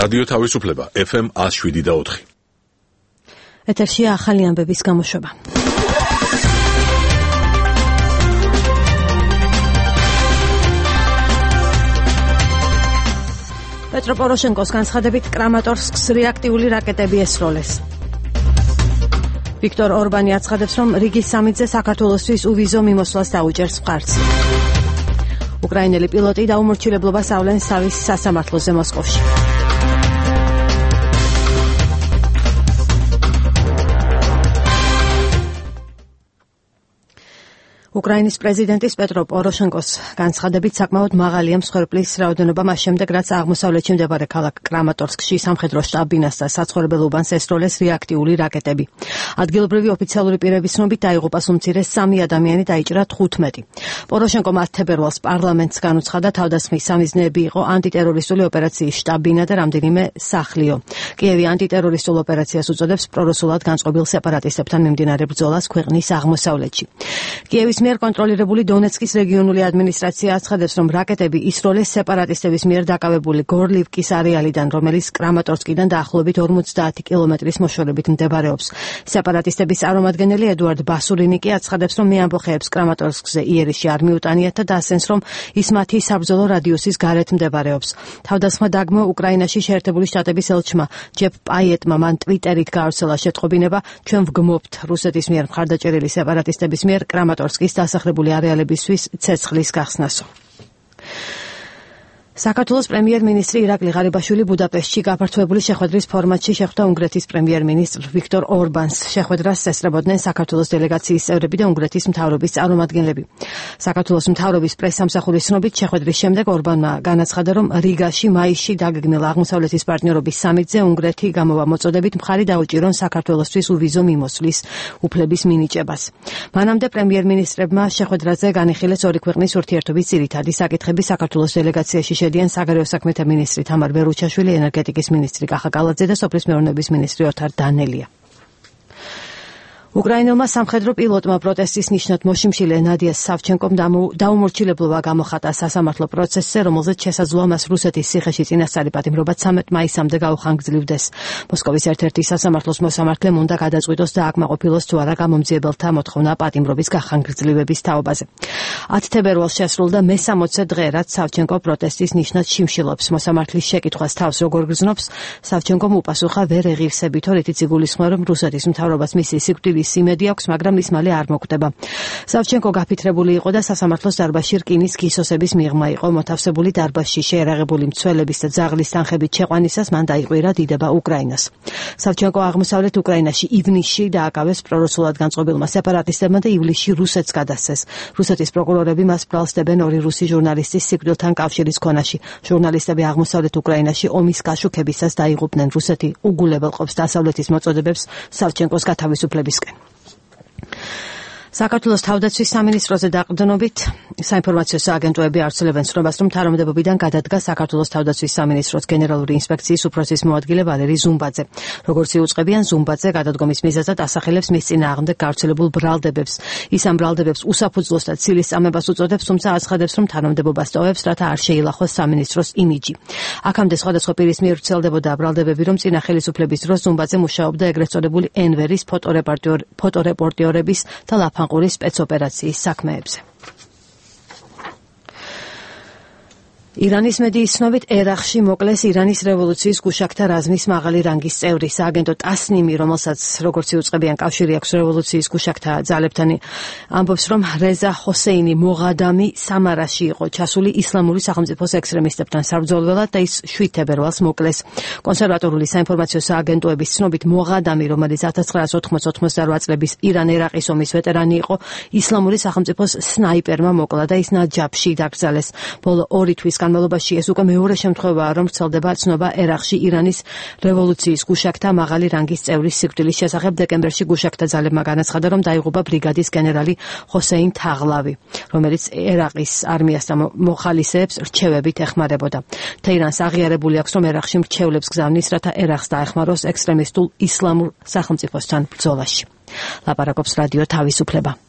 რადიო თავისუფლება FM 107.4. ეთერშია ახალი ამბების გამოშვება. პეტრო პოროშენკოს განცხადებით კრამატორსკს რეაქტიული რაკეტები ესროლეს. ვიქტორ ორბანი აცხადებს, რომ რიგის სამიტზე საქართველოსთვის უვიზო მიმოსვლას დაუჭერს მხარს. უკრაინელი პილოტი დაუმორჩილებლობას ავლენს თავის სასამართლოზე მოსკოვში. უკრაინის პრეზიდენტის პეტრო პოროშენკოს განცხადებით საკმაოდ მაღალია მსხვერპლის რაოდენობა მას შემდეგ, რაც აღმოსავლეთში მდებარე ქალაქ კრამატორსკში სამხედრო შტაბ-ბინას და საცხოვრებელ უბანს ესროლეს რეაქტიული რაკეტები. ადგილობრივი ოფიციალური პირების ცნობით დაიღუპა უმცირეს 3 ადამიანი, დაიჭრა 15. პოროშენკომ 10 თებერვალს პარლამენტს განუცხადა თავდასხმის სამიზნეები იყო ანტიტერორისტული ოპერაციის შტაბ-ბინა და რამდენიმე სახლიო. კიევი ანტიტერორისტულ ოპერაციას უწოდებს პრორუსულად განწყობილ სეპარატისტებთან მიმდინარე ბრძოლას ქვეყნის აღმოსავლეთში. კიევის მიერ კონტროლირებული დონეცკის რეგიონული ადმინისტრაცია აცხადებს, რომ რაკეტები ისროლეს სეპარატისტების მიერ დაკავებული გორლივკის არეალიდან, რომელიც კრამატორსკიდან დაახლოებით 50 კილომეტრის მოშორებით მდებარეობს. სეპარატისტების წარმომადგენელი ედუარდ ბასურინი კი აცხადებს, რომ მე ამბოხეებს კრამატორსკზე იერიში არ მიუტანიათ და დასცენს, რომ ის მათი საბრძოლო რადიუსის გარეთ მდებარეობს. თავდასხმა დაგმო უკრაინაში შეერთებული შტატების ელჩმა ჯეფ პაიეტმა მან ტვიტერით გაავრცელა შეტყობინება, ჩვენ ვგმობთ რუსეთის მიერ მხარდაჭერილი სეპარატისტების მიერ კრამატორსკის დასახლებული არეალებისთვის ცეცხლის გახსნასო. საქართველოს პრემიერ-მინისტრი ირაკლი ღარიბაშვილი ბუდაპეშტში გაფართოებული შეხვედრის ფორმატში შეხვდა უნგრეთის პრემიერ-მინისტრ ვიქტორ ორბანს. შეხვედრას ესწრებოდნენ საქართველოს დელეგაციის წევრები და უნგრეთის მთავრობის წარმომადგენლები. საქართველოს მთავრობის პრესსამსახურის ცნობით, შეხვედრის შემდეგ ორბანმა განაცხადა, რომ რიგაში მაისში დაგეგმილ აღმოსავლეთის პარტნიორობის სამიტზე უნგრეთი გამოვა მოწოდებით მხარი დაუჭირონ საქართველოსთვის უვიზო მიმოსვლის უფლების მინიჭებას. მანამდე პრემიერ-მინისტრებმა შეხვედრაზე განიხილეს ორი ქვეყნის ურთიერთობის ძირითადი საკითხები. საქართველოს დელეგაციაში შედიან საგარეო საქმეთა მინისტრი თამარ ბერუჩაშვილი, ენერგეტიკის მინისტრი კახა კალაძე და სოფლის მეურნეობის მინისტრი ოთარ დანელია. უკრაინელმა სამხედრო პილოტმა პროტესტის ნიშნად მოშიმშილე ნადია სავჩენკომ დაუმორჩილებლობა გამოხატა სასამართლო პროცესზე, რომელზეც შესაძლოა მას რუსეთის ციხეში წინასწარი პატიმრობა 13 მაისამდე გაუხანგრძლივდეს. მოსკოვის ერთ-ერთი სასამართლოს მოსამართლემ უნდა გადაწყვიტოს და აკმაყოფილოს თუ არა გამომძიებელთა მოთხოვნა პატიმრობის გახანგრძლივების თაობაზე. 10 თებერვალს შესრულდა მე-60 დღე, რაც სავჩენკო პროტესტის ნიშნად შიმშილობს. მოსამართლის შეკითხვას თავს როგორ გრძნობს, სავჩენკომ უპასუხა ვერ ეღირსებითო, რითიც იგულისხმება, რომ რუსეთის მთავრობას მისი სიკვდილის იმედი აქვს, მაგრამ ის მალე არ მოკვდება. სავჩენკო გაფითრებული იყო და სასამართლოს დარბაზში რკინის გისოსების მიღმა იყო. მოთავსებული დარბაზში შეერაღებული მცველების და ძაღლის თანხებით შეყვანისას მან დაიყვირა დიდება უკრაინას. სავჩენკო აღმოსავლეთ უკრაინაში ივნისში დააკავეს პრორუსულად განწყობილმა სეპარატისტებმა და ივლისში რუსეთს გადასცეს. რუსეთის პროკურორები მას ბრალსდებენ ორი რუსი ჟურნალისტის სიკვდილთან კავშირის ქონაში. ჟურნალისტები აღმოსავლეთ უკრაინაში ომის გაშუქებისას დაიღუპნენ. რუსეთი უგულებელყოფს დასავლეთის მოწოდებებს სავჩენკოს გათავისუფლებისკენ. საქართველოს თავდაცვის სამინისტროზე დაყრდნობით საინფორმაციო სააგენტოები ავრცელებენ ცნობას, რომ თანამდებობიდან გადადგა საქართველოს თავდაცვის სამინისტროს გენერალური ინსპექციის უფროსის მოადგილე ვალერი ზუმბაძე. როგორც იუწყებიან, ზუმბაძე გადადგომის მიზეზად ასახელებს მის წინააღმდეგ გავრცელებულ ბრალდებებს. ის ამ ბრალდებებს უსაფუძვლოს და ცილის წამებას უწოდებს, თუმცა აცხადებს, რომ თანამდებობას ტოვებს, რათა არ შეილახოს სამინისტროს იმიჯი. აქამდე სხვადასხვა პირის მიერ ვრცელდებოდა ბრალდებები, რომ წინა ხელისუფლების დროს ზუმბაძე მუშაობდა ეგრეთ წოდებული ენვერის ფოტორეპორტიორების და ლაფანყურის სპეცოპერაციის საქმეებზე. ირანის მედიის ცნობით, ერაყში მოკლეს ირანის რევოლუციის გუშაქთა რაზმის მაღალი რანგის წევრი. სააგენტო ტასნიმი, რომელსაც როგორც იუწყებიან კავშირი აქვს რევოლუციის გუშაქთა ძალებთან, ამბობს, რომ რეზა ჰოსეინი მოღადამი სამარაში იყო ჩასული ისლამური სახელმწიფოს ექსტრემისტებთან საბრძოლველად და ის 7 თებერვალს მოკლეს. კონსერვატორული საინფორმაციო სააგენტოების ცნობით, მოღადამი, რომელიც 1980-88 წლების ირან-ერაყის ომის ვეტერანი იყო, ისლამური სახელმწიფოს სნაიპერმა მოკლა და ის ნაჯაფში დაკრძალეს. ბოლო 2 თვის განმავლობაში ეს უკვე მეორე შემთხვევაა, რომ ვრცელდება ცნობა ერაყში ირანის რევოლუციის გუშაქთა მაღალი რანგის წევრის სიკვდილის შესახებ. დეკემბერში გუშაქთა ძალებმა განაცხადა, რომ დაიღუპა ბრიგადის გენერალი ჰოსეინ თაღლავი, რომელიც ერაყის არმიას და მოხალისეებს რჩევებით ეხმარებოდა. თეირანს აღიარებული აქვს, რომ ერაყში მრჩევლებს გზავნის, რათა ერაყს დაეხმაროს ექსტრემისტულ ისლამურ სახელმწიფოსთან ბრძოლაში. ლაპარაკობს რადიო თავისუფლება.